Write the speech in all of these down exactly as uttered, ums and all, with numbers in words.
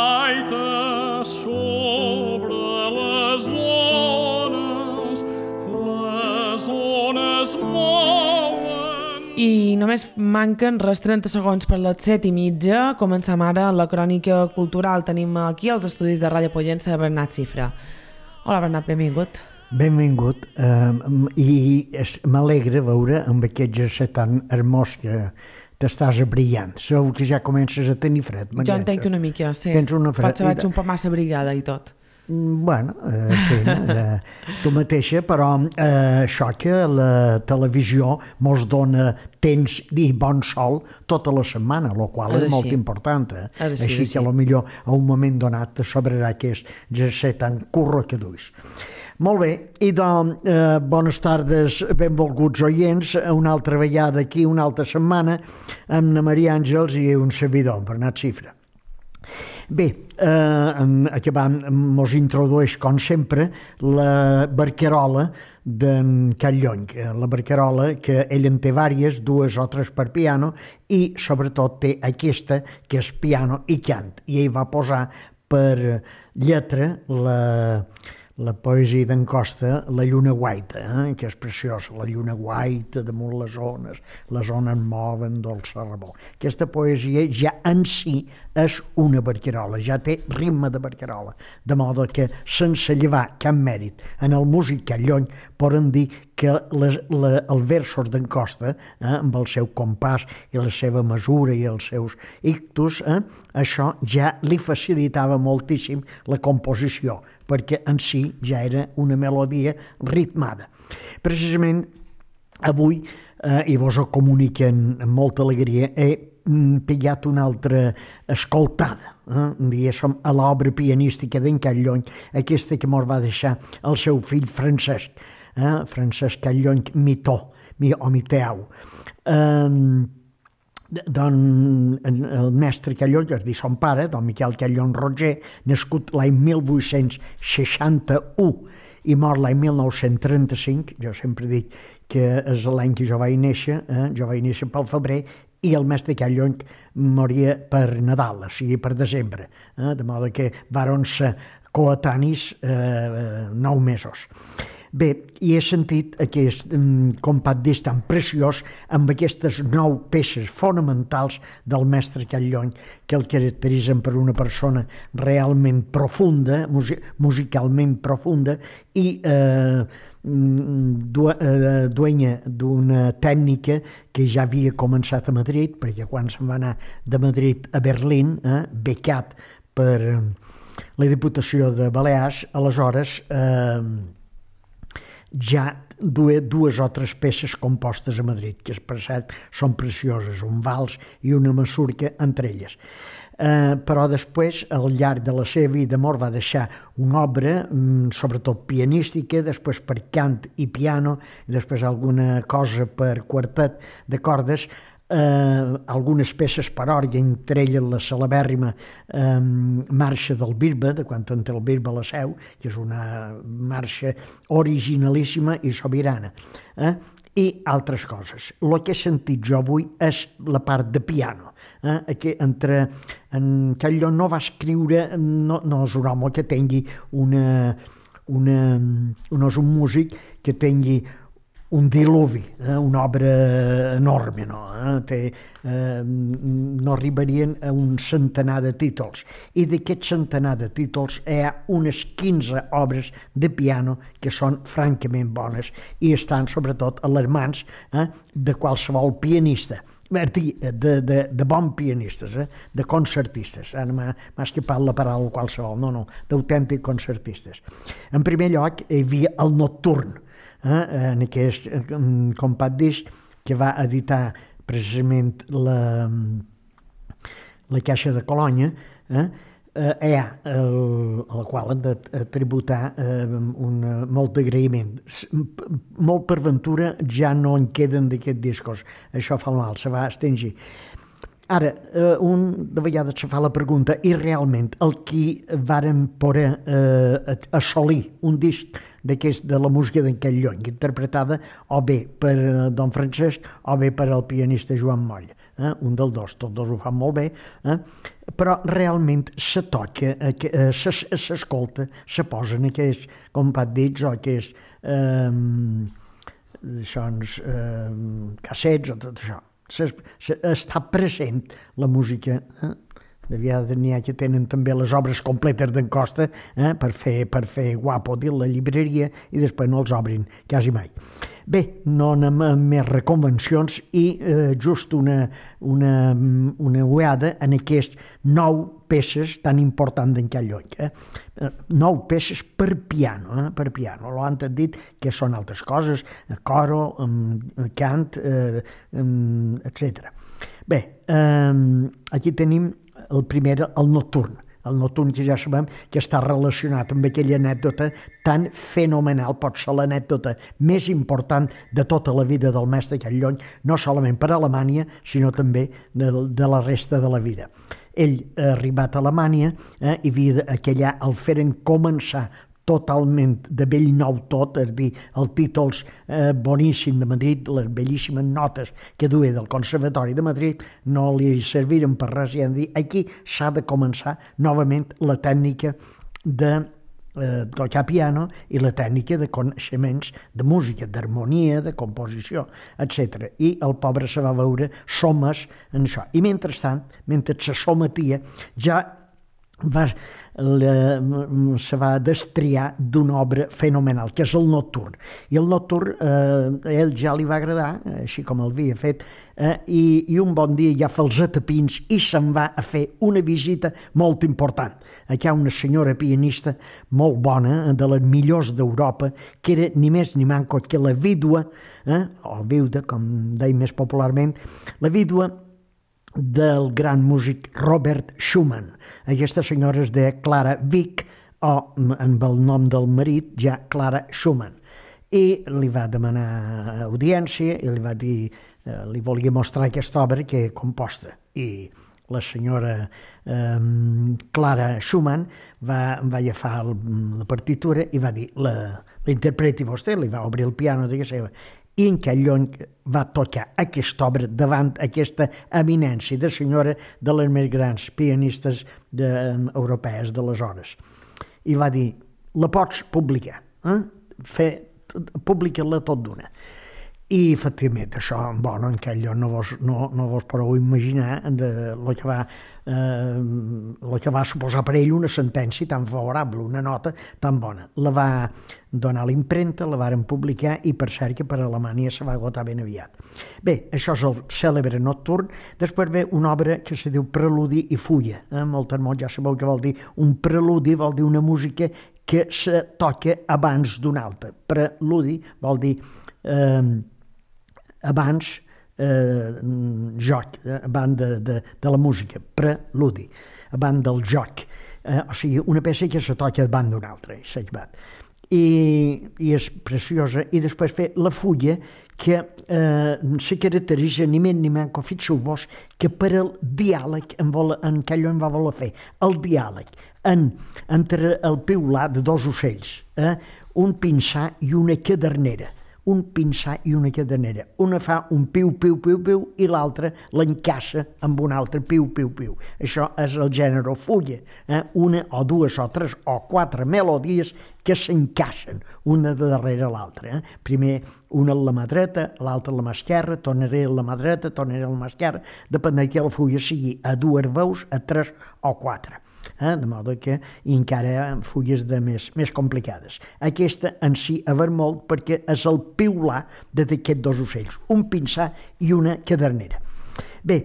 gaita sobre les ones, les ones mouen. I només manquen res trenta segons per les set i mitja. Comencem ara la crònica cultural. Tenim aquí els estudis de Ràdio Pollença Bernat Xifra. Hola Bernat, benvingut. Benvingut, um, i m'alegra veure amb aquest jersei tan hermós que t'estàs abrigant. Segur que ja comences a tenir fred. Jo en tenc una mica, sí. Tens una fred. Potser vaig un poc massa abrigada i tot. Bueno, eh, sí, eh, tu mateixa, però eh, això que la televisió mos dona temps i bon sol tota la setmana, el qual és, és molt important. Eh? És així així, que sí. potser a un moment donat te sobrarà aquest jersei tan curro que duis. Molt bé, i doncs, eh, bones tardes, benvolguts oients, una altra vegada aquí, una altra setmana, amb la Maria Àngels i un servidor, Bernat Xifra. Bé, eh, acabant, mos introdueix, com sempre, la barcarola d'en Callony. La barcarola, que ell en té vàries, dues o tres per piano, i sobretot té aquesta, que és piano i cant. I ell va posar per lletra la... la poesia d'en Costa, La lluna guaita, eh? que és preciosa, la lluna guaita damunt les ones, les ones moven dolça rebó. Aquesta poesia ja en si és una barcarola, ja té ritme de barcarola, de modo que sense llevar cap mèrit en el músic Callony poden dir que les, la, els versos d'en Costa, eh, amb el seu compàs i la seva mesura i els seus ictus, eh, això ja li facilitava moltíssim la composició, perquè en si ja era una melodia ritmada. Precisament avui, eh, i vos ho comuniquen amb molta alegria, he pillat una altra escoltada, eh, diguéssim, a l'obra pianística d'en Callony, aquesta que mos va deixar el seu fill Francesc, eh, Francesc Callony Mitó, o Miteu. Eh, Don, el mestre Callony, que es diu son pare, don Miquel Callony Roger, nascut l'any mil vuit-cents seixanta-u i mort l'any mil nou-cents trenta-cinc, jo sempre dic que és l'any que jo vaig néixer, eh? jo vaig néixer pel febrer, i el mestre Callony moria per Nadal, o sigui, per desembre, eh? de modo que varen ser coetanis eh, nou mesos. Bé, i he sentit aquest um, compat disc tan preciós amb aquestes nou peces fonamentals del mestre Callony que el caracteritzen per una persona realment profunda, mus- musicalment profunda i eh, du- eh, duenya d'una tècnica que ja havia començat a Madrid, perquè quan se'n va anar de Madrid a Berlín, eh, becat per la Diputació de Balears, aleshores eh, ja duia dues o tres peces compostes a Madrid, que per cert són precioses, un vals i una masurca entre elles. Eh, però després, al llarg de la seva vida, mort va deixar una obra, sobretot pianística, després per cant i piano, i després alguna cosa per quartet de cordes, eh, algunes peces per orgue, entre elles la celebèrrima eh, marxa del Bisbe, de quan en té el Bisbe a la Seu, que és una marxa originalíssima i sobirana, eh? I altres coses. El que he sentit jo avui és la part de piano, eh? que entre en Callony no va escriure, no, no és un home que tingui una, una, no és un músic que tingui un diluvi, eh, una obra enorme, no? Eh? Té, eh, no arribarien a un centenar de títols. I d'aquest centenar de títols hi ha unes quinze obres de piano que són francament bones i estan sobretot a les mans eh, de qualsevol pianista. De, de, de bons pianistes, eh? de concertistes. Ara m'ha escapat la paraula qualsevol, no, no, d'autèntics concertistes. En primer lloc, hi havia el Nocturn, Eh, en aquest compat disc que va editar precisament la, la Caixa de Colònia, eh, eh, hi ha el, el qual hem de tributar eh, un, molt d'agraïment. Molt per ventura ja no en queden d'aquests discos, això fa mal, se va extingir. Ara, eh, un de vegades se fa la pregunta, i realment el qui varen poder eh, assolir un disc d'aquest de la música d'en Callony, interpretada o bé per don Francesc o bé per el pianista Joan Moll. eh? un dels dos, tots dos ho fan molt bé, eh? però realment se toca, eh, s'escolta, se posen aquests, com pat dits, o aquests eh, doncs, eh, cassets o tot això. Se, se, està present la música, eh? de vegades n'hi ha que tenen també les obres completes d'en Costa eh, per, fer, per fer guapo dir la llibreria i després no els obrin quasi mai. Bé, no anem amb més reconvencions i eh, just una, una, una ullada en aquests nou peces tan importants d'en Calloll. Eh? Nou peces per piano, eh? per piano. Lo han dit que són altres coses, coro, cant, eh, etcètera. Bé, eh, aquí tenim el primer, el nocturn. El nocturn que ja sabem que està relacionat amb aquella anècdota tan fenomenal, pot ser l'anècdota més important de tota la vida del mestre Calloll, no solament per a Alemanya, sinó també de, de la resta de la vida. Ell ha arribat a Alemanya eh, i havia, aquella el feren començar totalment de vell nou tot, és a dir, els títols eh, boníssim de Madrid, les bellíssimes notes que duia del Conservatori de Madrid, no li serviren per res, i han dit, aquí s'ha de començar novament la tècnica de eh, tocar piano i la tècnica de coneixements de música, d'harmonia, de composició, etcètera. I el pobre se va veure somes en això. I mentrestant, mentre se sometia, ja Va, la, se va destriar d'una obra fenomenal, que és el nocturn. I el nocturn eh, a ell ja li va agradar, així com el havia fet, eh, i, i un bon dia ja fa els atapins i se'n va a fer una visita molt important. Aquí hi ha una senyora pianista molt bona, de les millors d'Europa, que era ni més ni manco que la vídua, eh, o viuda, com deia més popularment, la vídua del gran músic Robert Schumann. Aquesta senyora és de Clara Wieck, o amb el nom del marit, ja Clara Schumann. I li va demanar audiència i li va dir, eh, li volia mostrar aquesta obra que he composta. I la senyora eh, Clara Schumann va, va agafar el, la partitura i va dir, la, la interpreti vostè, li va obrir el piano de seva. I en Calloll va tocar aquesta obra davant aquesta eminència de senyora de les més grans pianistes de, um, europees d'aleshores. I va dir, la pots publicar, eh? Fer, publica-la tot d'una. I efectivament això, bueno, en Calloll no vos, no, no vos podeu imaginar de lo que va eh, lo que va suposar per ell una sentència tan favorable, una nota tan bona. La va donar a l'impremta, la varen publicar i per cert que per a Alemanya se va agotar ben aviat. Bé, això és el cèlebre nocturn. Després ve una obra que se diu Preludi i Fulla. Eh? Moltes mots ja sabeu què vol dir. Un preludi vol dir una música que se toca abans d'una altra. Preludi vol dir eh, abans eh, joc, abans de, de, de la música, preludi, abans del joc. Eh, o sigui, una peça que se toca davant d'una altra, I, i és preciosa. I després fer la fulla, que eh, se caracteritza ni més ni manco, fixeu-vos, que per al diàleg en, vol, en Calloll va voler fer, el diàleg en, entre el piular de dos ocells, eh, un pinsà i una cadernera, un pinsà i una cadernera. Una fa un piu, piu, piu, piu, i l'altra l'encaixa amb un altre piu, piu, piu. Això és el gènere fulla. Eh? Una o dues o tres o quatre melodies que s'encaixen una de darrere l'altra. Eh? Primer una a la mà dreta, l'altra a la mà esquerra, tornaré a la mà dreta, tornaré a la mà esquerra, depèn que la fulla sigui a dues veus, a tres o quatre. Eh? De modo que encara fulles de més, més complicades. Aquesta en si a ver molt perquè és el piular d'aquests dos ocells, un pinsà i una cadernera. Bé,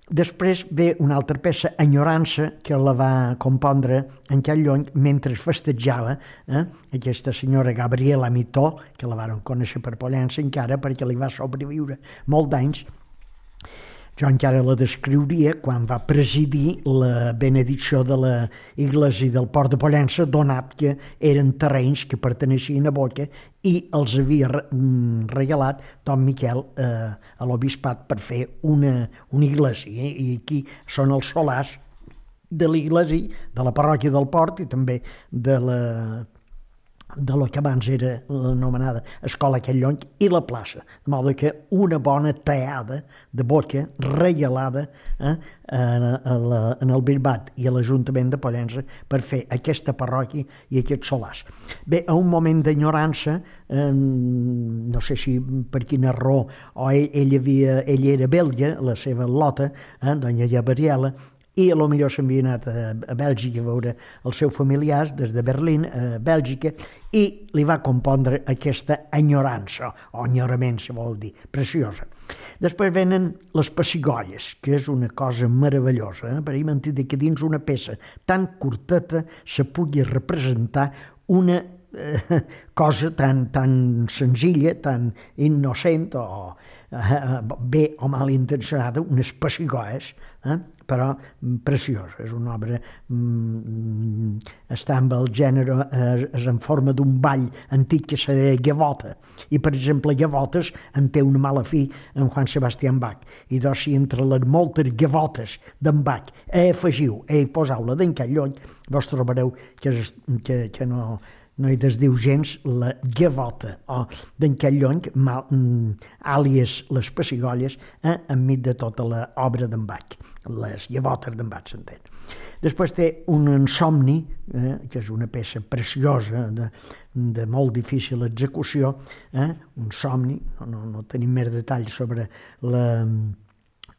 després ve una altra peça, Enyorança, que la va compondre en Calloll mentre festejava eh? aquesta senyora Gabriela Mitó, que la van conèixer per Pollença encara perquè li va sobreviure molt d'anys. Jo encara la descriuria quan va presidir la benedicció de la iglesia del Port de Pollença, donat que eren terrenys que perteneixien a Boca i els havia regalat Don Miquel eh, a l'obispat per fer una, una iglesia. I aquí són els solars de l'iglesia, de la parròquia del Port i també de la, de lo que abans era l'anomenada Escola Catllonc i la plaça, de modo que una bona teada de boca regalada eh, en, la, en el Bisbat i a l'Ajuntament de Pollença per fer aquesta parròquia i aquests solars. Bé, a un moment d'enyorança, eh, no sé si per quina raó, o ell, ell, havia, ell era belga, la seva lota, eh, doña Gabriela, i a lo millor s'havia anat a, a Bèlgica a veure els seus familiars des de Berlín a Bèlgica i li va compondre aquesta enyorança, o enyorament, si vol dir, preciosa. Després venen les pessigolles, que és una cosa meravellosa, eh? Per ahir m'han dit que dins una peça tan curteta se pugui representar una eh, cosa tan, tan senzilla, tan innocent o eh, bé o mal intencionada, unes pessigolles, eh? Però preciosa, és una obra, mm, està amb el gènere, eh, és en forma d'un ball antic que se deia gavota, i per exemple gavotes en té una mala fi en Joan Sebastián Bach, i doncs si entre les moltes gavotes d'en Bach hi afegiu, hi poseu-la d'en Catllonc, vos trobareu que, és, que, que no, no hi desdiu gens la gavota, o d'en Catllonc, àlies les pessigolles, eh, enmig de tota l'obra d'en Bach, les gavotes d'en Bach, s'entén. Després té un insomni, eh, que és una peça preciosa, de, de molt difícil execució, eh, un somni, no, no, no tenim més detalls sobre la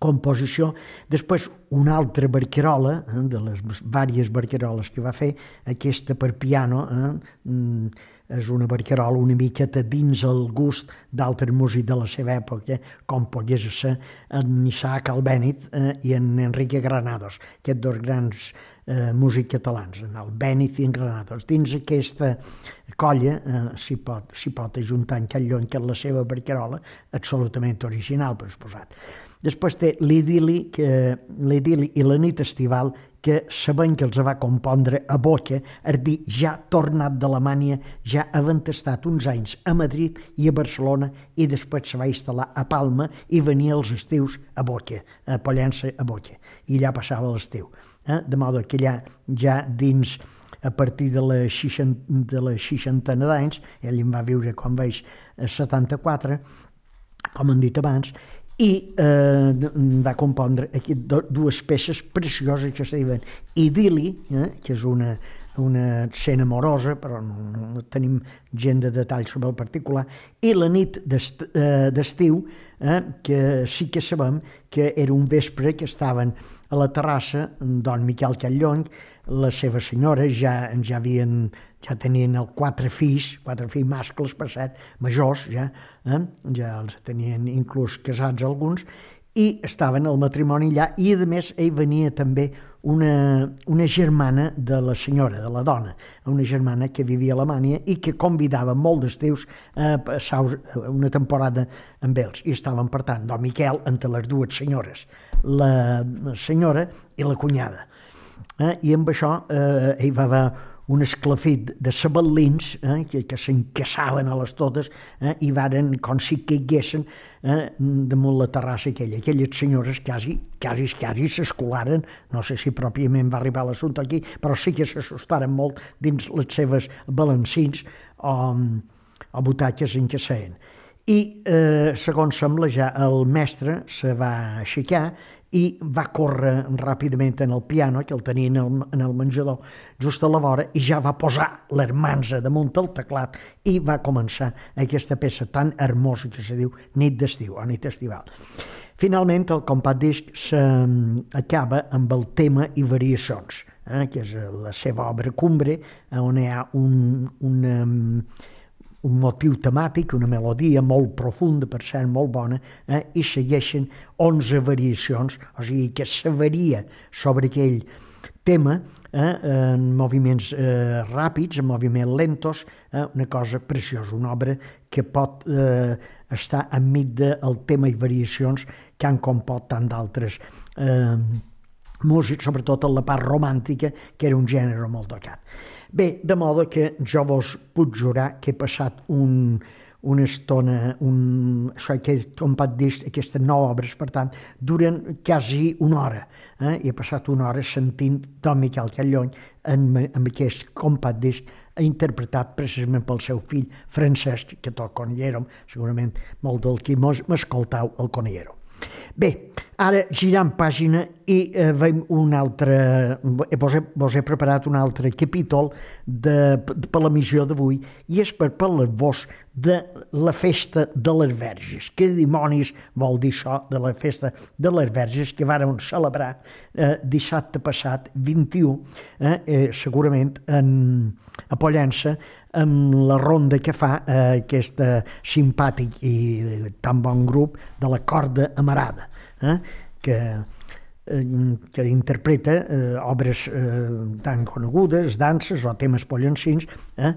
composició. Després una altra barcarola, eh, de les diverses barcaroles que va fer, aquesta per piano, eh, és una barcarola una miqueta dins el gust d'altres músics de la seva època, com pogués ser en Isaac Albéniz eh, i en Enrique Granados, aquests dos grans eh, músics catalans, en Albéniz i en Granados. Dins aquesta colla eh, s'hi pot, s'hi pot ajuntar en Catllonc, que és la seva barcarola, absolutament original, per exposat. Després té l'idili, que, l'idili i la nit estival, que sabent que els va compondre a Boca, és dir, ja tornat d'Alemanya, ja havent estat uns anys a Madrid i a Barcelona, i després se va instal·lar a Palma i venia els estius a Boca, a Pollença a Boca, i allà passava l'estiu. Eh? De modo que allà, ja dins, a partir de la, seixanta, de la seixantena d'anys, ell em va viure, com veig, a setanta-quatre, com han dit abans, i eh, va compondre aquí dues peces precioses que es diuen Idili, eh, que és una, una escena amorosa, però no, no tenim gent de detall sobre el particular, i La nit d'est, eh, d'estiu, eh, que sí que sabem que era un vespre que estaven a la terrassa don Miquel Catllonc, la seva senyora, ja, ja havien ja tenien el quatre fills, quatre fills mascles, per cert, majors ja, eh? Ja els tenien inclús casats alguns, i estaven al matrimoni allà, i a més ell venia també una, una germana de la senyora, de la dona, una germana que vivia a Alemanya i que convidava molt d'estius a passar una temporada amb ells, i estaven, per tant, don Miquel entre les dues senyores, la senyora i la cunyada. Eh? I amb això eh, ell va haver un esclafit de sabalins eh, que, que s'encaçaven a les totes eh, i varen, com si caiguessin eh, damunt la terrassa aquella. Aquelles senyores quasi, quasi, quasi s'escolaren, no sé si pròpiament va arribar l'assumpte aquí, però sí que s'assustaren molt dins les seves balancins o, o butaques en què seien. I, eh, segons sembla, ja el mestre se va aixecar i va córrer ràpidament en el piano, que el tenia en el, en el menjador, just a la vora, i ja va posar l'hermanza damunt el teclat i va començar aquesta peça tan hermosa que se diu Nit d'estiu, o Nit estival. Finalment, el compat disc s'acaba amb el tema i variacions, eh, que és la seva obra cumbre, on hi ha un, una, un motiu temàtic, una melodia molt profunda, per cert, molt bona, eh, i segueixen onze variacions, o sigui que se varia sobre aquell tema eh, en moviments eh, ràpids, en moviments lentos, eh, una cosa preciosa, una obra que pot eh, estar enmig del tema i variacions que han compost tant d'altres eh, músics, sobretot en la part romàntica, que era un gènere molt tocat. Bé, de modo que jo vos puc jurar que he passat un, una estona, un, això, aquest compat disc, aquestes nou obres, per tant, duren quasi una hora. Eh? I he passat una hora sentint Don Miquel Callony en, en aquest compat disc interpretat precisament pel seu fill Francesc, que toca Conillero, segurament molt del que m'escoltau el Conillero. Bé, ara girant pàgina i eh, veiem un altre, vos he, vos he preparat un altre capítol de, de, per la missió d'avui, i és per parlar-vos de la festa de les Verges. Què dimonis vol dir això de la festa de les Verges que vàrem celebrar eh, dissabte passat, vint-i-u, eh, eh, segurament en, a Pollença, amb la ronda que fa eh, aquest simpàtic i tan bon grup de la Corda Amarada, eh, que, eh, que interpreta eh, obres eh, tan conegudes, danses o temes pollencins, eh,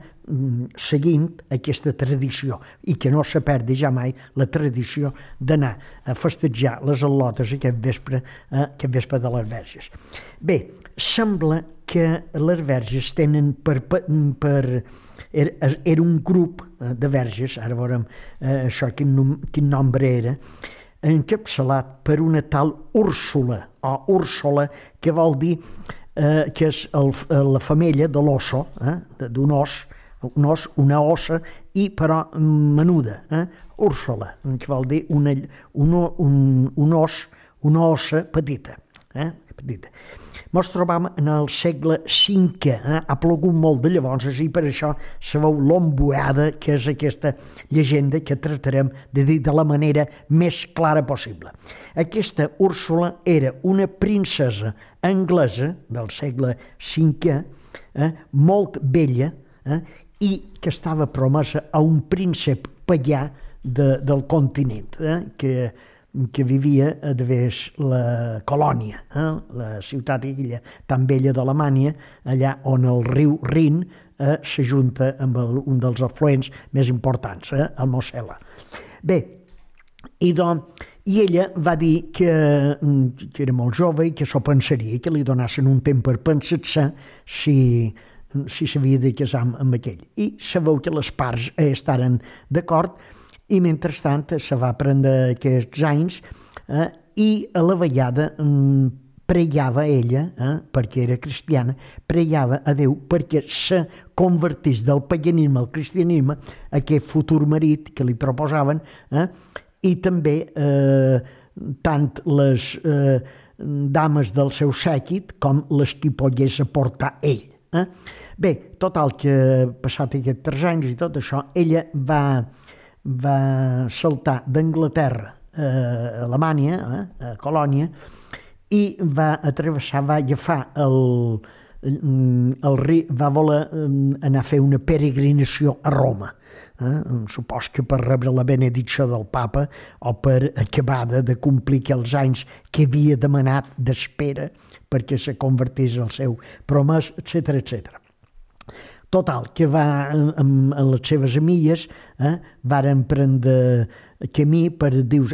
seguint aquesta tradició, i que no se perdi ja mai la tradició d'anar a festejar les al·lotes aquest vespre, eh, aquest vespre de les Verges. Bé, sembla que les Verges tenen per... per Era, era un grup de verges, ara veurem eh, això, quin, nom, quin nombre era, encapçalat per una tal Úrsula, o Úrsula, que vol dir eh, que és el, la femella de l'osso, eh, d'un os, un os, una ossa, i però menuda, eh, Úrsula, que vol dir una, un, un, un os, una ossa petita, eh, petita. Ens trobam en el segle cinquè, eh? Ha plogut molt de llavors, i per això sabeu l'ombuada, que és aquesta llegenda que tractarem de dir de la manera més clara possible. Aquesta Úrsula era una princesa anglesa del segle cinquè, eh? molt vella, eh? i que estava promesa a un príncep pagà de, del continent, eh? que que vivia a través la Colònia, eh? la ciutat aquella tan vella d'Alemanya, allà on el riu Rin eh, s'ajunta amb el, un dels afluents més importants, eh? el Mosel·la. Bé, i, doncs, i ella va dir que, que era molt jove i que s'ho pensaria, que li donassin un temps per pensar-se si si s'havia de casar amb, amb aquell. I sabeu que les parts eh, estaren d'acord, i mentrestant se va prendre aquests anys eh, i a la vegada mm, preiava ella, eh, perquè era cristiana, preiava a Déu perquè se convertís del paganisme al cristianisme aquest futur marit que li proposaven, eh, i també eh, tant les eh, dames del seu sèquit com les que pogués aportar ell. Eh. Bé, total que passat aquests tres anys i tot això, ella va... va saltar d'Anglaterra a Alemanya, eh, a Colònia, i va atravessar, va agafar el, el riu, va voler anar a fer una peregrinació a Roma. Eh? Supos que per rebre la benedicció del papa o per acabar de complir els anys que havia demanat d'espera perquè se convertís al seu promès, etcètera, etcètera. Total, que va amb, amb les seves amigues, eh, varen prendre camí per, dius,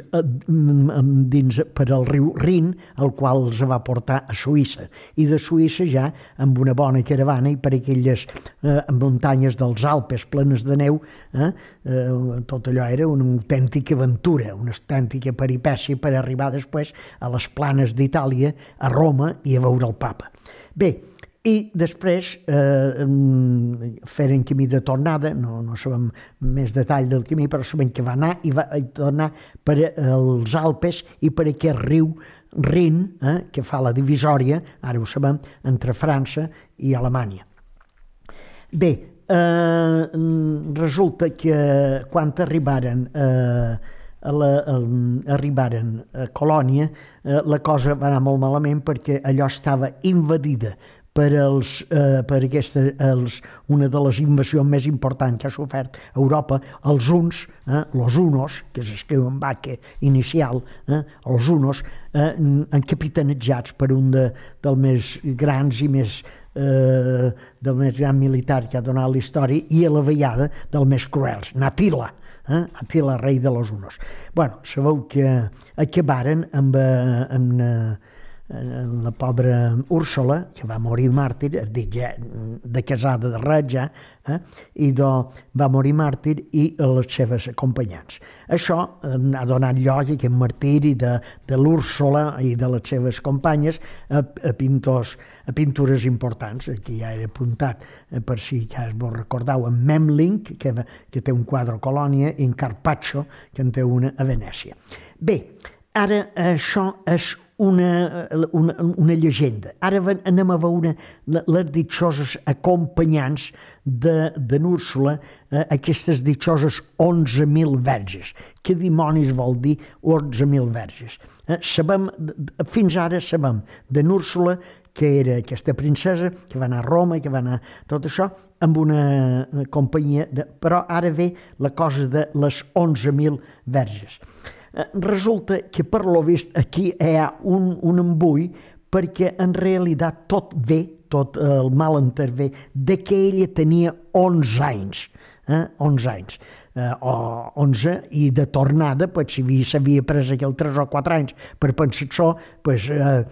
dins, per el riu Rin, el qual els va portar a Suïssa. I de Suïssa ja, amb una bona caravana i per aquelles eh, muntanyes dels Alpes plenes de neu, eh, eh, tot allò era una autèntica aventura, una autèntica peripècia per arribar després a les planes d'Itàlia, a Roma i a veure el papa. Bé, i després eh, feren camí de tornada, no, no sabem més detall del camí, però sabem que va anar i va tornar per als Alpes i per aquest riu Rin, eh, que fa la divisòria, ara ho sabem, entre França i Alemanya. Bé, eh, resulta que quan arribaren eh, a la, a, arribaren a Colònia, eh, la cosa va anar molt malament perquè allò estava invadida per, els, eh, per aquesta, els, una de les invasions més importants que ha sofert Europa, els huns, eh, los hunos, que s'escriu en vaca inicial, eh, els hunos, eh, encapitanetzats per un de, dels més grans i més, eh, del més gran militar que ha donat la història, i a la vegada del més cruels, Attila, eh, Attila, rei de los hunos. Bueno, sabeu que acabaren amb, amb, la pobra Úrsula, que va morir màrtir, es dit ja de casada de res ja, eh? i do, va morir màrtir i les seves acompanyants. Això ha donat lloc a aquest martiri de, de l'Úrsula i de les seves companyes a, a, pintors, a pintures importants. Aquí ja he apuntat, per si ja vos recordeu, en Memling, que, que té un quadre a Colònia, i en Carpaccio, que en té una a Venècia. Bé, ara això és una, una, una llegenda. Ara anem a veure les ditxoses acompanyants de, de n'Úrsula, eh, aquestes ditxoses onze mil verges. Què dimonis vol dir onze mil verges? Eh, sabem, fins ara sabem de n'Úrsula, que era aquesta princesa, que va anar a Roma, que va anar tot això, amb una companyia, de, però ara ve la cosa de les onze mil verges. Resulta que per lo vist aquí hi ha un, un embull perquè en realitat tot ve, tot el mal intervé, de que ella tenia onze anys, eh? onze anys, eh, o onze, i de tornada, pues, si s'havia pres aquell tres o quatre anys per pensar això, pues, eh,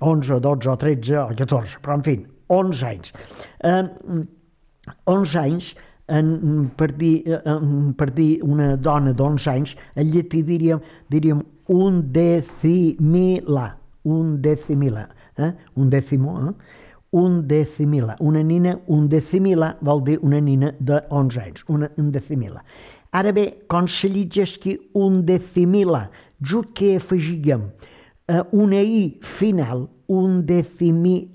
onze, dotze o tretze o catorze, però en fi, onze anys. Eh, onze anys, En, per, dir, en, per dir una dona d'onze anys, en llatí diríem, diríem un decimila, un decimila, eh? un dècimo, eh? un decimila, una nina, un decimila vol dir una nina d'onze anys, una, un decimila. Ara bé, quan se llegeixi un decimila, just que afegíem eh, una i final, un decimilia,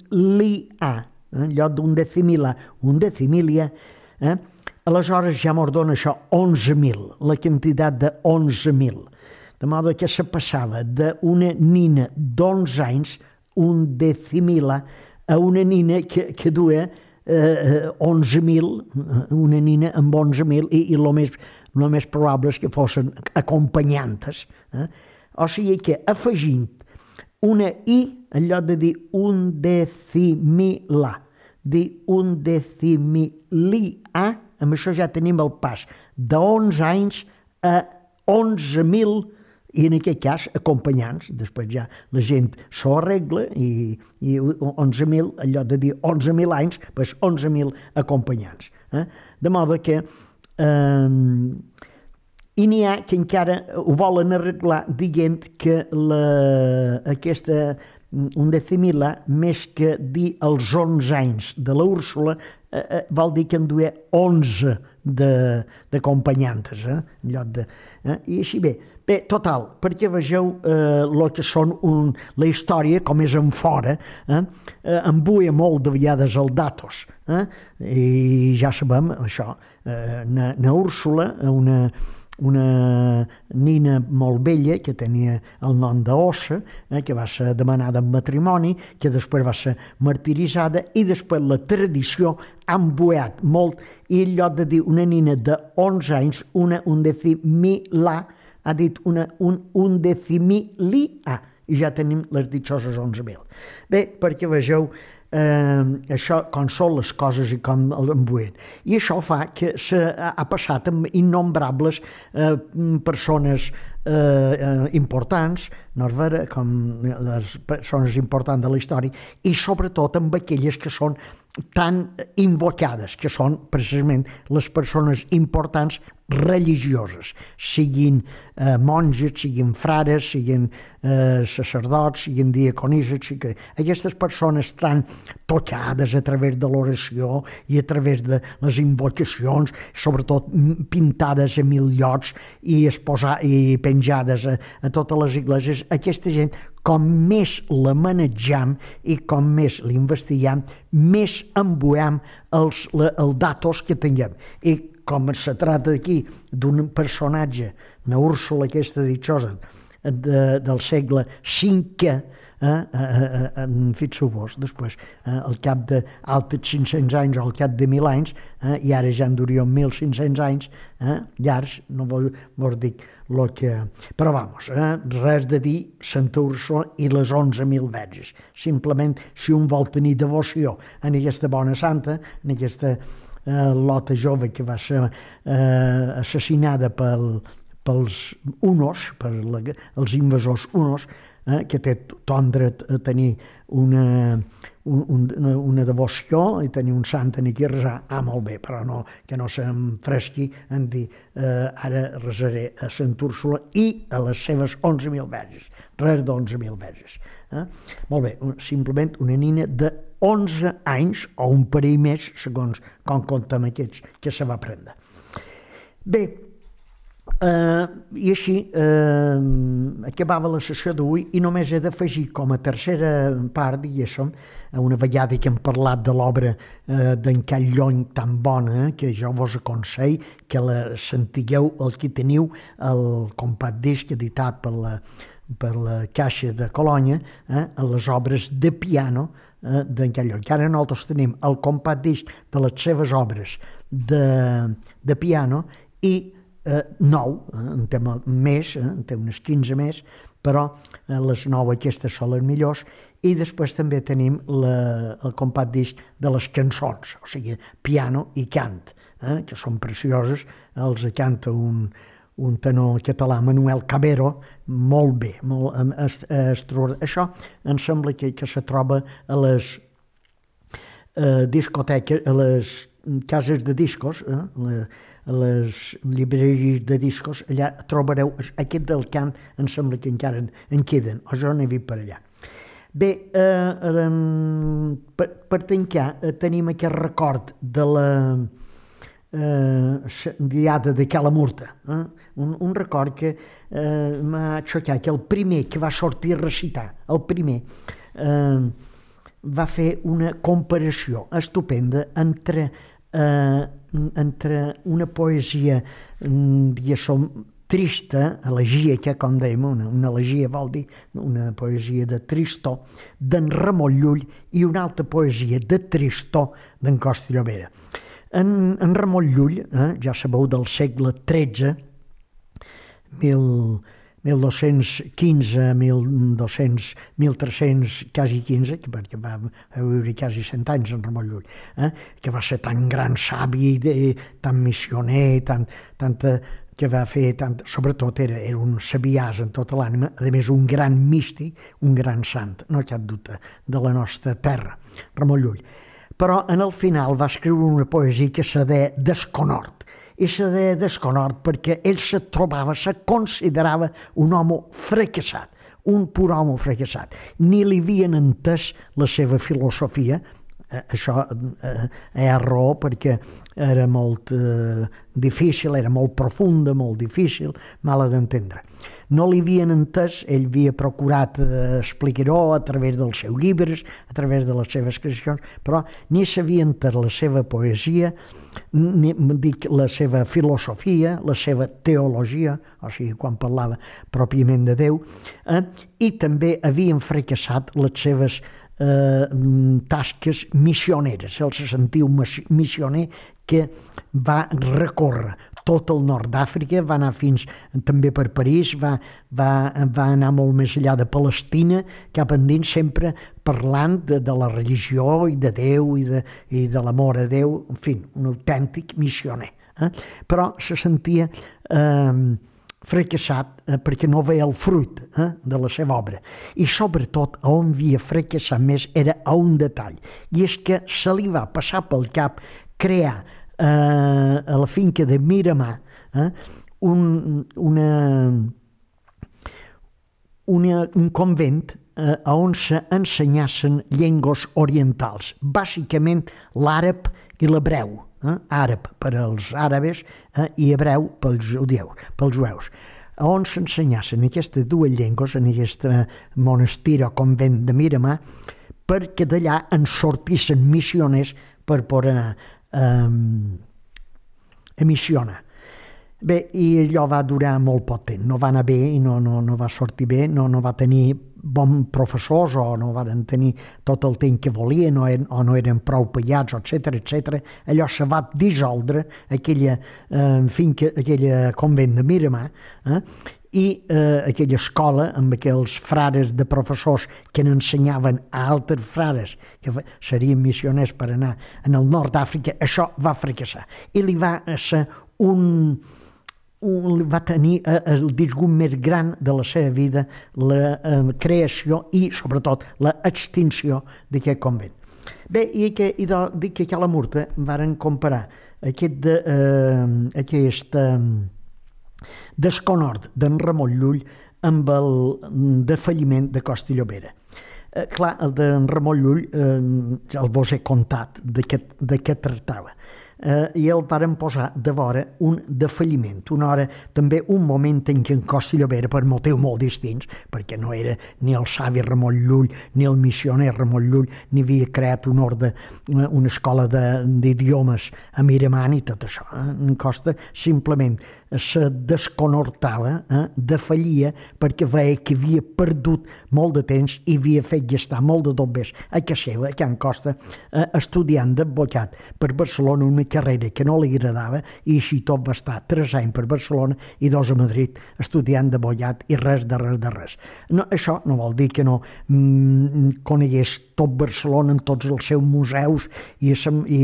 eh? en lloc d'un decimila, un decimilia, eh? aleshores ja mos dona això onze mil, la quantitat de onze mil. De modo que se passava d'una nina d'onze anys, un decimila, a una nina que, que duia eh, onze mil, una nina amb onze mil, i, i el més, lo més probable és que fossin acompanyantes. Eh? O sigui que afegint una i, en lloc de dir un decimila, dir un decimilia, amb això ja tenim el pas d'onze anys a onze mil, i en aquest cas acompanyants. Després ja la gent s'ho arregla i, i onze mil, en lloc de dir onze mil anys, doncs onze mil acompanyants. Eh? De modo que eh, i n'hi ha que encara ho volen arreglar dient que la, aquesta un decimila, més que dir els onze anys de la Úrsula, eh, eh, vol dir que en duia onze d'acompanyantes, eh, en lloc de... Eh, I així bé. Bé, total, perquè vegeu eh, el que són un, la història, com és en fora, eh, eh, embuia molt de vegades el datos, eh, i ja sabem això, eh, na, na Úrsula, una... una nina molt vella que tenia el nom d'Ossa, eh, que va ser demanada en matrimoni, que després va ser martiritzada, i després la tradició ha embuat molt, i en lloc de dir una nina d'onze anys, una undecimila, ha dit una un undecimilia, i ja tenim les ditxoses onze mil. Bé, perquè vegeu Eh, això, com són les coses i com l'embuen. I això fa que s'ha passat amb innombrables eh, persones eh, eh, importants, no és vera, com les persones importants de la història, i sobretot amb aquelles que són tan invocades, que són precisament les persones importants religioses, siguin eh, monges, siguin frares, siguin eh, sacerdots, siguin diaconisses, siguin... aquestes persones estan tocades a través de l'oració i a través de les invocacions, sobretot pintades a mil llocs i, exposar, i penjades a, a totes les igleses. Aquesta gent, com més la manejam i com més l'investiguem, més embuem els, la, el datos que tinguem. I com se trata aquí d'un personatge, una Úrsula aquesta ditxosa, de, del segle cinquè, eh, eh, eh, fixeu-vos, després, eh, al cap d'altres cinc-cents anys o al cap de mil anys, eh, i ara ja en duríem mil cinc-cents anys, eh, llargs, no vos, vos dic lo que... Però vamos, eh, res de dir Santa Úrsula i les onze mil verges. Simplement, si un vol tenir devoció en aquesta bona santa, en aquesta eh, lota jove que va ser eh, assassinada pel, pels hunos, per la, els invasors hunos, eh, que té ton dret a tenir una, un, una, una devoció i tenir un sant aquí a resar, ah, molt bé, però no, que no se'm fresqui en dir eh, ara resaré a Sant Úrsula i a les seves onze mil verges, res d'onze mil verges. Eh? Molt bé, simplement una nina de onze anys o un parell més, segons com comptem aquests que se va prendre. Bé, Uh, i així uh, acabava la sessió d'avui i només he d'afegir com a tercera part, diguéssim, una vegada que hem parlat de l'obra uh, d'en Callony tan bona, que jo vos aconsell que la sentigueu el que teniu el compact disc editat per la, per la Caixa de Colònia, eh, a les obres de piano eh, d'en Callony. Que ara nosaltres tenim el compact disc de les seves obres de, de piano i Eh, nou, eh, en té més, eh, en té unes quinze més, però eh, les nou aquestes són les millors, i després també tenim la, el compact disc de les cançons, o sigui, piano i cant, eh, que són precioses, els canta un, un tenor català, Manuel Cabero, molt bé, molt, est, est, això em sembla que, que se troba a les eh, discoteques, a les cases de discos, eh, la, a les llibreries de discos, allà trobareu, aquest del cant em sembla que encara en, en queden, o jo n'he vist per allà. Bé, eh, eh, per, per tancar, eh, tenim aquest record de la eh, diada de Calamurta, eh? un, un record que eh, m'ha xocat, que el primer que va sortir a recitar, el primer, eh, va fer una comparació estupenda entre eh, entre una poesia, diguéssim, trista, elegíaca, com dèiem, una, una elegia vol dir una poesia de tristor, d'en Ramon Llull, i una altra poesia de tristor d'en Costa i Llobera. En, en Ramon Llull, eh, ja sabeu, del segle tretze, mil, mil dos-cents quinze, mil dos-cents, mil tres-cents, quasi quinze, perquè va, va viure quasi cent anys en Ramon Llull, eh? Que va ser tan gran savi, de, tan missioner, tan, tanta, que va fer, tant, sobretot era, era un sabiàs en tota l'ànima, a més un gran místic, un gran sant, no cap dubte, de la nostra terra, Ramon Llull. Però en el final va escriure una poesia que se deia Desconhort, i se deia Desconhort perquè ell se trobava, se considerava un home fracassat, un pur home fracassat. Ni li havien entès la seva filosofia, eh, això eh, és raó perquè era molt eh, difícil, era molt profunda, molt difícil, mala d'entendre. No li havien entès, ell havia procurat eh, explicar-ho a través dels seus llibres, a través de les seves creacions, però ni s'havia entès la seva poesia, ni, dic, la seva filosofia, la seva teologia, o sigui, quan parlava pròpiament de Déu, eh, i també havien fracassat les seves eh, tasques missioneres. Ell se sentia un missioner que va recórrer tot el nord d'Àfrica, va anar fins també per París, va, va, va anar molt més enllà de Palestina, cap endins, sempre parlant de, de la religió i de Déu i de, i de l'amor a Déu, en fi, un autèntic missioner. Eh? Però se sentia eh, fracassat eh, perquè no veia el fruit eh, de la seva obra. I sobretot on havia fracassat més era a un detall, i és que se li va passar pel cap crear Uh, a la finca de Miramar eh, un, una, una, un convent uh, on se ensenyassen llengües orientals, bàsicament l'àrab i l'hebreu, eh, àrab per als àrabes eh, i hebreu pels judeus, pels jueus, on s'ensenyassen aquestes dues llengües en aquest monestir o convent de Miramar, perquè d'allà en sortissin missioners per poder anar Um, a missionar. Bé, i allò va durar molt poc temps, no va anar bé i no, no, no va sortir bé, no, no va tenir bons professors o no van tenir tot el temps que volien o, eren, o no eren prou pagats, etcètera, etcètera. Allò se va dissoldre, aquella eh, finca, aquella convent de Miramar, eh, i eh, aquella escola amb aquells frares de professors que n'ensenyaven a altres frares que serien missioners per anar en el nord d'Àfrica, això va fracassar i li va ser un, va tenir el disgust més gran de la seva vida, la eh, creació i, sobretot, l'extinció d'aquest convent. Bé, i, que, i de, dic que a la Murta varen comparar aquest, de, eh, aquest eh, desconhort d'en Ramon Llull amb el defalliment de Costa i Llobera. Eh, clar, el d'en Ramon Llull eh, el vos he contat de què tractava. Eh, i el varen posar de vora un defalliment, una hora, també un moment en què en Costa i Llobera, per motius molt distints, perquè no era ni el savi Ramon Llull, ni el missioner Ramon Llull, ni havia creat un ordre, una, una escola d'idiomes a Miramant i tot això. Eh? En Costa simplement se desconortava, eh? defallia, perquè veia que havia perdut molt de temps i havia fet gastar molt de dobbers a casa seva, a Can Costa, eh, estudiant d'advocat per Barcelona, una carrera que no li agradava, i així tot va estar tres anys per Barcelona i dos a Madrid estudiant d'advocat i res de res de res. No, això no vol dir que no mm, conegués tot Barcelona en tots els seus museus i, i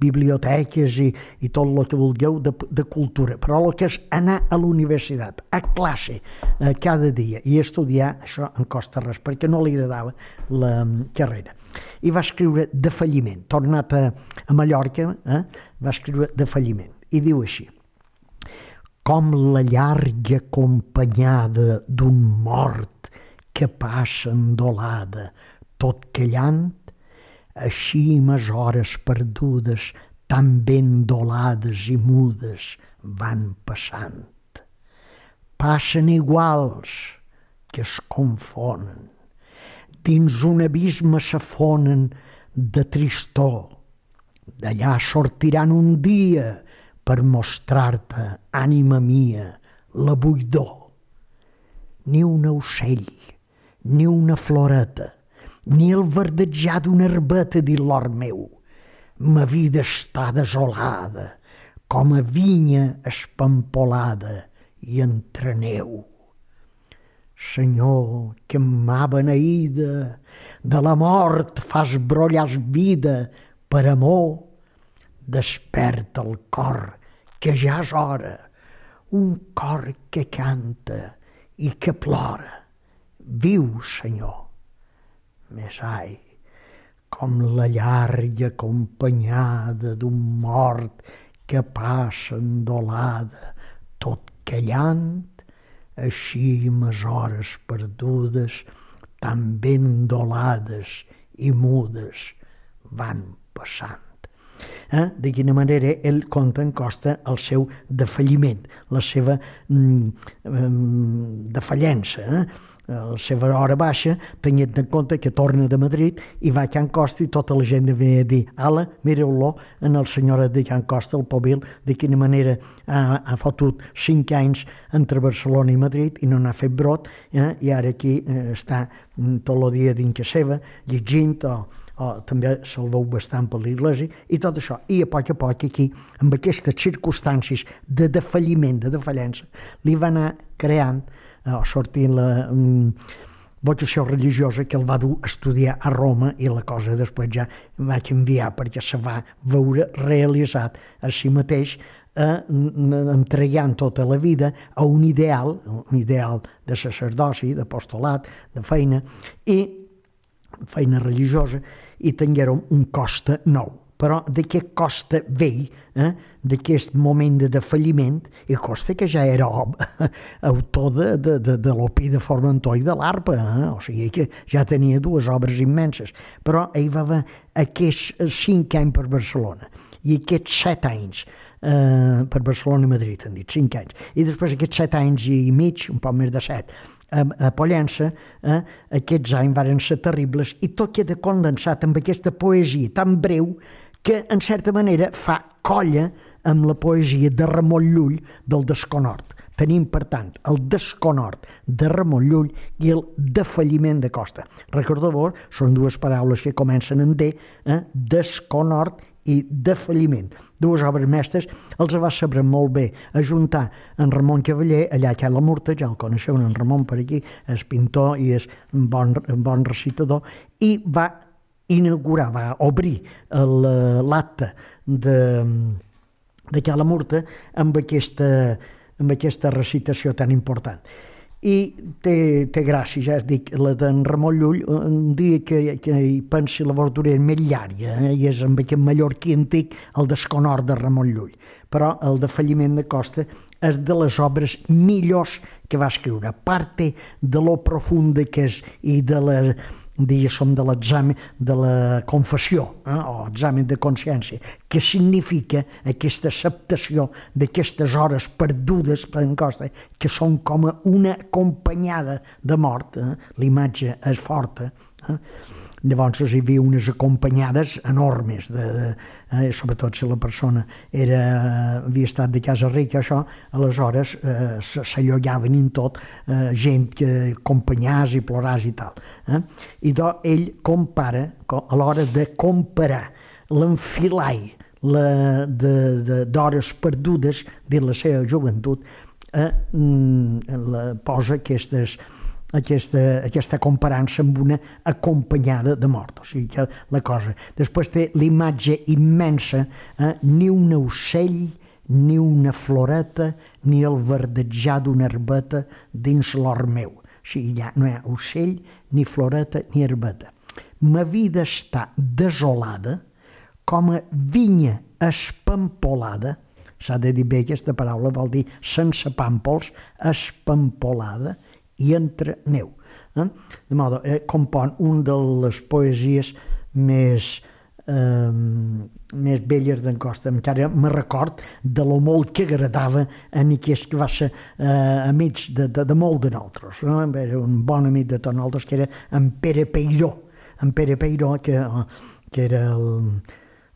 biblioteques i, i tot el que vulgueu de, de cultura, però el que és anar a la universitat, a classe, eh, cada dia i estudiar, això en costa res, perquè no li agradava la carrera. I va escriure de falliment, tornat a, a Mallorca, eh, va escriure de falliment, i diu així: com la llarga acompanyada d'un mort que passa endolada, tot callant, així mes hores perdudes, tan ben dolades i mudes, van passant. Passen iguals que es confonen, dins un abisme s'afonen de tristor. D'allà sortiran un dia per mostrar-te, ànima mia, la buidor. Ni un ocell, ni una floreta, ni el verdejar d'una herbeta dins l'hort meu. Ma vida està desolada, com a vinya espampolada i entre neu. Senyor, que mà beneïda, de la mort fas brollar vida per amor, desperta el cor, que ja és hora, un cor que canta i que plora. Viu, Senyor. Més ai, com la llarga acompanyada d'un mort que passa endolada, tot callant, així mes hores perdudes, tan ben dolades i mudes, van passant. Eh? De quina manera ell conta en Costa el seu defalliment, la seva mm, defallença, eh? la seva hora baixa, tenint en compte que torna de Madrid i va a Can Costa i tota la gent ve a dir: ala, mireu-lo, en el senyor de Can Costa, el Povil, de quina manera ha, ha fotut cinc anys entre Barcelona i Madrid i no n'ha fet brot, eh? I ara aquí eh, està tot el dia dins casa seva, llegint, o, o també se'l veu bastant per l'església, i tot això. I a poc a poc aquí, amb aquestes circumstàncies de defalliment, de defallença, li va anar creant o sortint la um, vocació religiosa que el va dur a estudiar a Roma, i la cosa després ja va canviar perquè se va veure realitzat a si mateix, eh, entregant tota la vida a un ideal, un ideal de sacerdoci, d'apostolat, de feina, i feina religiosa, i tinguérem un Costa nou. Però d'aquest Costa vell, eh, d'aquest moment de defalliment, i Costa que ja era autor de, de, de, de l'Opi de Formentor i de l'Arpa, eh? O sigui que ja tenia dues obres immenses, però ell va haver aquests cinc anys per Barcelona, i aquests set anys eh, per Barcelona i Madrid, han dit, cinc anys, i després aquests set anys i mig, un poc més de set, a Pollença, eh, aquests anys varen ser terribles, i tot queda condensat amb aquesta poesia tan breu que, en certa manera, fa colla amb la poesia de Ramon Llull del Desconhort. Tenim, per tant, el Desconhort de Ramon Llull i el defalliment de Costa. Recordeu-vos, són dues paraules que comencen en D, eh, Desconhort i defalliment. Dues obres mestres, els va saber molt bé ajuntar en Ramon Cavaller, allà a la Murta, ja el coneixeu, en Ramon per aquí, és pintor i és un bon, un bon recitador, i va inaugurar, va obrir l'acte de, de Cala Murta amb aquesta amb aquesta recitació tan important. I té, té gràcia, ja es dic, la d'en Ramon Llull, un dia que, que hi pensi la verdura més llarga, eh? I és amb aquest mallorquí antic, el desconor de Ramon Llull. Però el de Falliment de Costa és de les obres millors que va escriure. A part de lo profunda que és i de la, diguéssim, de l'examen, de la confessió, eh? O examen de consciència, que significa aquesta acceptació d'aquestes hores perdudes per en Costa, que són com una acompanyada de mort. Eh? L'imatge és forta. Eh? Llavors hi havia unes acompanyades enormes, de, de, eh, sobretot si la persona era, havia estat de casa rica, això, aleshores eh, s'allogaven en tot eh, gent que acompanyàs i ploràs i tal. Eh? I doncs ell compara, a l'hora de comparar l'enfilall d'hores perdudes de la seva joventut, eh, la, posa aquestes Aquesta, aquesta comparança amb una acompanyada de mort. O sigui que la cosa... Després té l'imatge immensa, eh? Ni un ocell, ni una floreta, ni el verdejar d'una herbeta dins l'hort meu. O sigui, ja no hi ha ocell, ni floreta, ni herbeta. Ma vida està desolada com a vinya espampolada. S'ha de dir bé aquesta paraula, vol dir sense pàmpols, espampolada, i entre neu. Eh? De modo, eh, compon un de les poesies més, eh, més belles d'en Costa. Encara me record de lo molt que agradava en aquest que va ser eh, amics de, de, de molt de nosaltres. No? Era un bon amic de tots nosaltres, que era en Pere Peiró. En Pere Peiró, que, que era el,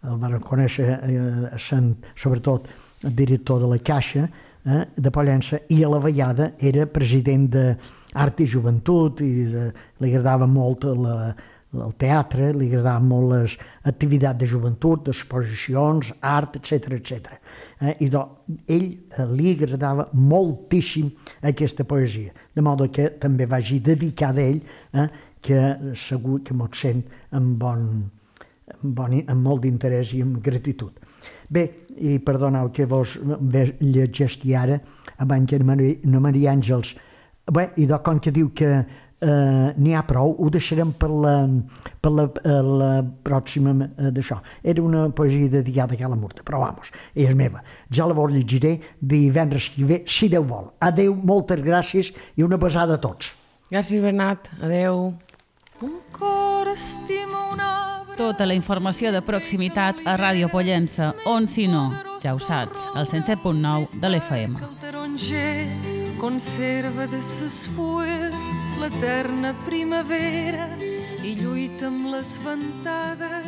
el van conèixer, eh, sent, sobretot, el director de la Caixa, Eh, de Pollença, i a la vegada era president d'Art i Joventut, i de, li agradava molt la, el teatre, li agradaven molt les activitats de joventut, exposicions, art, etcètera, etcètera. Eh, I doncs, ell eh, li agradava moltíssim aquesta poesia, de modo que també vagi dedicada a ell, eh, que segur que mos sent amb, bon, amb, bon, amb molt d'interès i amb gratitud. Bé, i perdoneu que vos llegeixi ara, abans que na Maria Àngels, bé, i de com que diu que eh, n'hi ha prou, ho deixarem per la, per la, la pròxima eh, d'això. Era una poesia dedicada a Cala Murta, però vamos, és meva. Ja la vos llegiré divendres que ve, si Déu vol. Adéu, moltes gràcies i una besada a tots. Gràcies, Bernat. Adéu. Un cor estima una... Tota la informació de proximitat a Ràdio Pollença, on si no, ja ho saps, al cent set punt nou de l'F M. El taronger conserva de ses fulles l'eterna primavera i lluita amb les ventades